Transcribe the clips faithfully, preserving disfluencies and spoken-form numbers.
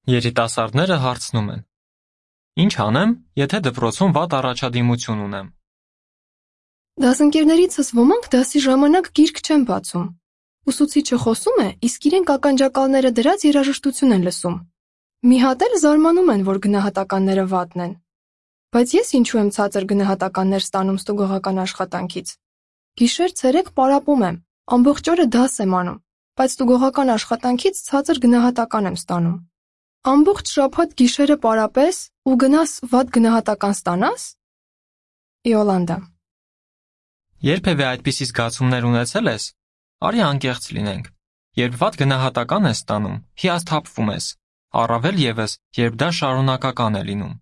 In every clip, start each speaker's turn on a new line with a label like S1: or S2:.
S1: Երիտասարդները հարցնում են. Ինչ անեմ, եթե դպրոցում վատ առաջադիմություն ունեմ։
S2: Դասընկերներիցս ոմանք դասի ժամանակ գիրք չեն բացում։ Ուսուցիչը խոսում է, իսկ իրենք ականջակալները դրած երաժշտություն են լսում։ Մի հատ էլ զարմանում են, որ գնահատականները վատն են։ Բայց ես ինչու եմ ցածր գնահատականներ ստանում ստուգողական աշխատանքից։ Գիշեր-ցերեկ պարապում եմ, ամբողջ օրը դաս եմ անում, բայց ստուգողական աշխատանքից ցածր գնահատական եմ ստանում։ Ամբողջ շաբաթ գիշերը պարապես ու գնաս վատ գնահատական ստանաս։ Իոլանդա։
S1: Երբևէ այդպիսի զգացումներ ունեցել ես, արի անկեղծ լինենք, երբ վատ գնահատական ես ստանում, հիասթափվում ես, առավել ևս, երբ դա շարունակական է լինում։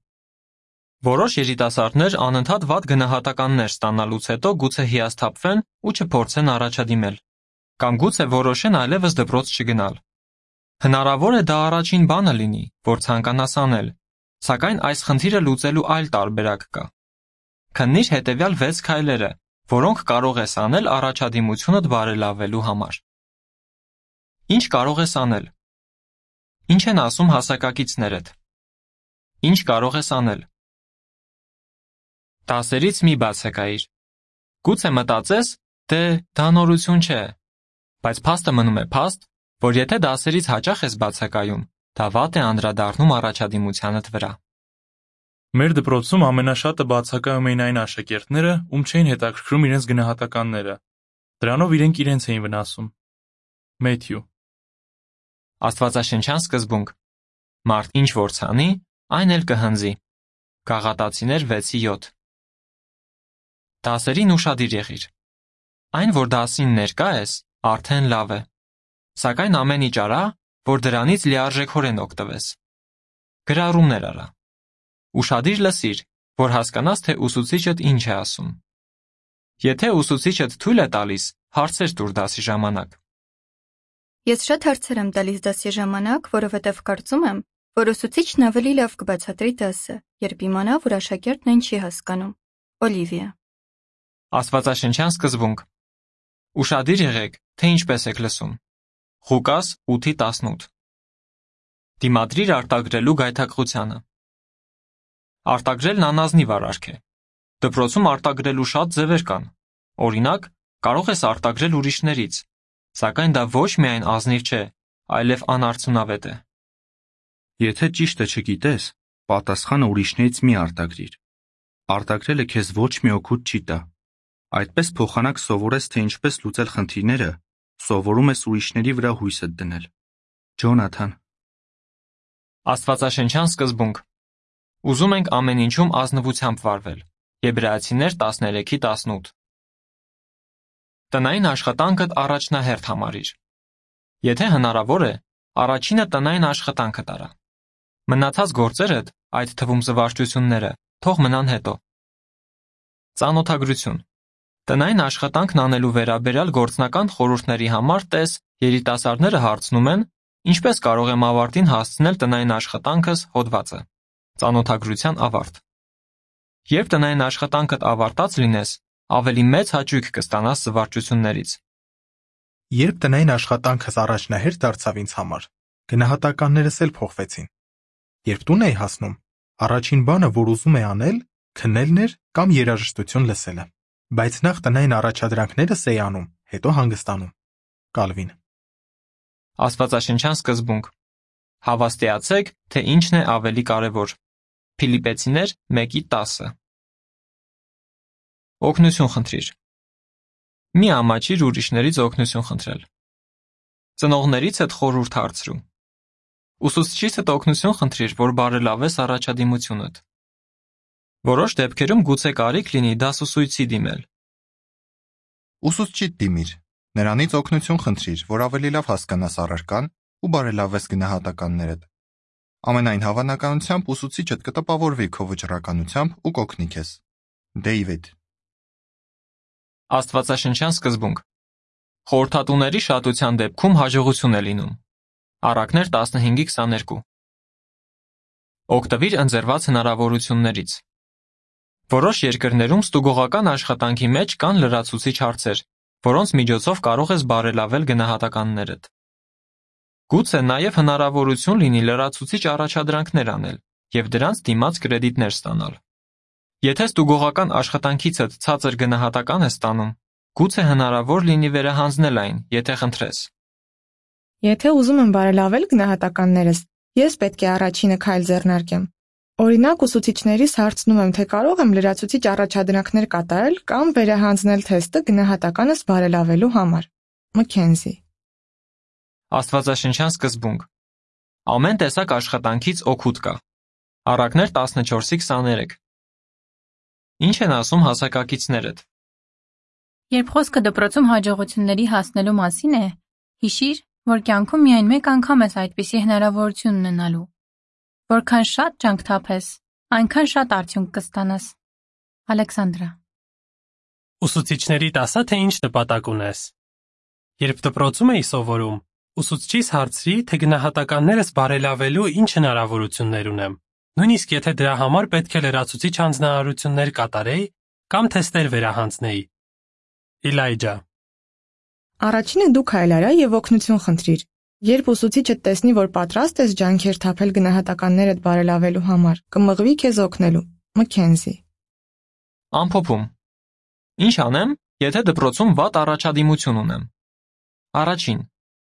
S1: Որոշ երիտասարդներ անընդհատ վատ գնահատականներ ստանալուց հետո գուցե հիասթափվեն ու չփորձեն առաջադիմել, կամ գուցե որոշեն այլևս դպրոց չգնալ։ Հնարավոր է դա առաջին բանը լինի, որ ցանկանաս անել, սակայն այս խնդիրը լուծելու այլ տարբերակ կա։ Քննիր հետևյալ վեց քայլերը, որոնք կարող ես անել առաջադիմությունդ բարելավելու համար։ Ինչ կարող ես անել։ Ինչ են ասում հասակակիցներդ։ Ինչ կարող ես անել։ Դասերից մի բացակայիր։ Գուցե մտածես, դե դա նորություն չէ, բայց փաստը մնում է փաստ, որ եթե դասերից հաճախ ես բացակայում, դա վատ է անդրադառնում առաջադիմությանդ վրա։
S3: Մեր դպրոցում ամենաշատը բացակայում էին այն աշակերտները, ում չէին հետաքրքրում իրենց գնահատականները։ Դրանով իրենք իրենց էին վնասում։ Մեթյու։
S1: Աստվածաշնչյան սկզբունք։ Մարդ ինչ որ ցանի, այն էլ կհնձի։ Գաղատացիներ վեցի յոթ։ Դասերին ուշադիր եղիր։ Այն, որ դասին ներկա ես, արդեն լավ է։ Սակայն ամեն ինչ արա, որ դրանից լիարժեքորեն օգտվես։ Գրառումներ արա։ Ուշադիր լսիր, որ հասկանաս, թե ուսուցիչդ ինչ է ասում։ Եթե ուսուցիչդ թույլ է տալիս, հարցեր տուր դասի ժամանակ։
S4: Ես շատ հարցեր եմ տալիս դասի ժամանակ, որովհետև կարծում եմ, որ ուսուցիչն ավելի լավ կբացատրի դասը, երբ իմանա, որ աշակերտն այն չի հասկանում։ Օլիվիա։
S1: Աստվածաշնչյան սկզբունք։ Ուշադիր եղեք, թե ինչպես եք լսում։ Ղուկաս ութ տասնութ։ Դիմադրիր արտագրելու գայթակղությանը։ Արտագրելն անազնիվ արարք է։ Դպրոցում արտագրելու շատ ձևեր կան։ Օրինակ, կարող ես արտագրել ուրիշներից, սակայն դա ոչ միայն ազնիվ չէ, այլև անարդյունավետ է։
S5: Եթե ճիշտը չգիտես, պատասխանը ուրիշներից մի արտագրիր։ Արտագրելը քեզ ոչ մի օգուտ չի տա։ Այդպես փոխանակ սովորես, թե ինչպես լուծել խնդիրները, սովորում ես ուրիշների վրա հույսդ դնել։ Ջոնաթան։
S1: Աստվածաշնչյան սկզբունք։ Ուզում ենք ամեն ինչում ազնվությամբ վարվել։ Եբրայեցիներ տասներեք տասնութ։ Տնային աշխատանքդ առաջնահերթ համարիր։ Եթե հնարավոր է, առաջինը տնային աշխատանքը տարա։ Մնացած գործերդ, այդ թվում զվարճությունները, թող մնան հետո։ Ծանոթագրություն։ Տնային աշխատանքն անելու վերաբերյալ գործնական խորհուրդների համար տես երիտասարդները հարցնում են, ինչպես կարող եմ ավարտին հասցնել տնային աշխատանքս հոդվածը։ Ծանոթագրության ավարտ։ Երբ տնային աշխատանքդ ավարտած լինես, ավելի մեծ հաճույք կստանաս զվարճություններից։
S6: Երբ տնային աշխատանքս առաջնահերթ դարձավ ինձ համար, գնահատականներս էլ փոխվեցին։ Երբ տուն էի հասնում, առաջին բանը, որ ուզում էի անել, քննելն էր կամ երաժշտություն լսելը, բայց նախ տնային առաջադրանքներս էի անում, հետո հանգստանում։ Կալվին։
S1: Աստվածաշնչյան սկզբունք։ Հավաստիացեք, թե ինչն է ավելի կարևոր։ Փիլիպեցիներ մեկ տասը։ Օգնություն խնդրիր։ Մի ամաչիր ուրիշներից օգնություն խնդրել։ Ծնողներիցդ խորհուրդ հարցրու։ Ուսուցչիցդ օգնություն խնդրիր, որ բարելավես առաջադիմությունդ։ Որոշ դեպքերում գուցե կարիք լինի դասուսույցի դիմել։
S7: Ուսուցչիդ դիմիր, նրանից օգնություն խնդրիր, որ ավելի լավ հասկանաս առարկան ու բարելավես գնահատականներդ։ Ամենայն հավանականությամբ ուսուցիչդ կտպավորվի քո վճռականությամբ ու կօգնի քեզ։ Դեյվիդ։
S1: Աստվածաշնչյան սկզբունք։ Խորհրդատուների շատության դեպքում հաջողություն է լինում։ Առակներ տասնհինգ քսաներկու։ Օգտվիր ընձեռված հնարավորություններից։ Որոշ երկրներում ստուգողական աշխատանքի մեջ կան լրացուցիչ հարցեր, որոնց միջոցով կարող ես բարելավել գնահատականներդ։ Գուցե նաև հնարավորություն լինի լրացուցիչ առաջադրանքներ անել և դրանց դիմաց կրեդիտներ ստանալ։ Եթե ստուգողական աշխատանքիցդ ցածր գնահատական ես ստանում, գուցե հնարավոր լինի վերահանձնել այն, եթե խնդրես։
S8: Եթե ուզում եմ բարելավել գնահատականներս, ես պետք է առաջինը քայլ ձեռնարկեմ։ Օրինակ, ուսուցիչներից հարցնում եմ, թե կարող եմ լրացուցիչ առաջադրանքներ կատարել կամ վերահանձնել թեստը գնահատականս բարելավելու համար։ Մքենզի։
S1: Աստվածաշնչյան սկզբունք։ Ամեն տեսակ աշխատանքից օգուտ կա։ Առակներ տասնչորսի քսաներեք։ Ինչ են ասում հասակակիցներդ։
S9: Երբ խոսքը դպրոցում հաջողությունների հասնելու մասին է, հիշիր, որ կյանքում միայն մեկ անգամ ես այդպիսի հնարավորություն ունենալու։ Որքան շատ ջանք թափես, այնքան շատ արդյունք կստանաս։ Ալեքսանդրա։
S10: Ուսուցիչների ասա, թե ինչ նպատակ ունես։ Երբ դպրոցում էի սովորում, ուսուցչիս հարցրի, թե գնահատականներս բարելավելու ինչ հնարավորություններ ունեմ։ Նույնիսկ եթե դրա համար պետք է լրացուցիչ հանձնարարություններ կատարեի կամ թեստեր վերահանձնեի։ Իլայջա։
S8: Առաջինը դու քայլ արա եւ օգնություն խնդրիր։ Երբ ուսուցիչը տեսնի, որ պատրաստ ես ջանքեր թափել գնահատականներդ բարելավելու համար, կմղվի քեզ օգնելու։ Մքենզի։
S1: Ամփոփում։ Ինչ անեմ, եթե դպրոցում վատ առաջադիմություն ունեմ։ Առաջին.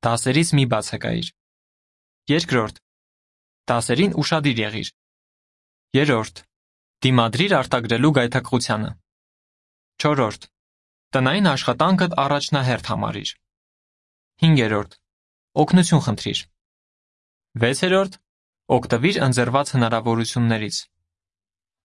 S1: դասերից մի բացակայիր։ Երկրորդ. դասերին ուշադիր եղիր։ Երրորդ. դիմադրիր արտագրելու գայթակղությանը։ Չորրորդ. տնային աշխատանքդ առաջնահերթ համարիր։ Հինգերորդ. օգնություն խնդրիր։ Վեցերորդ. օգտվիր ընձեռված հնարավորություններից։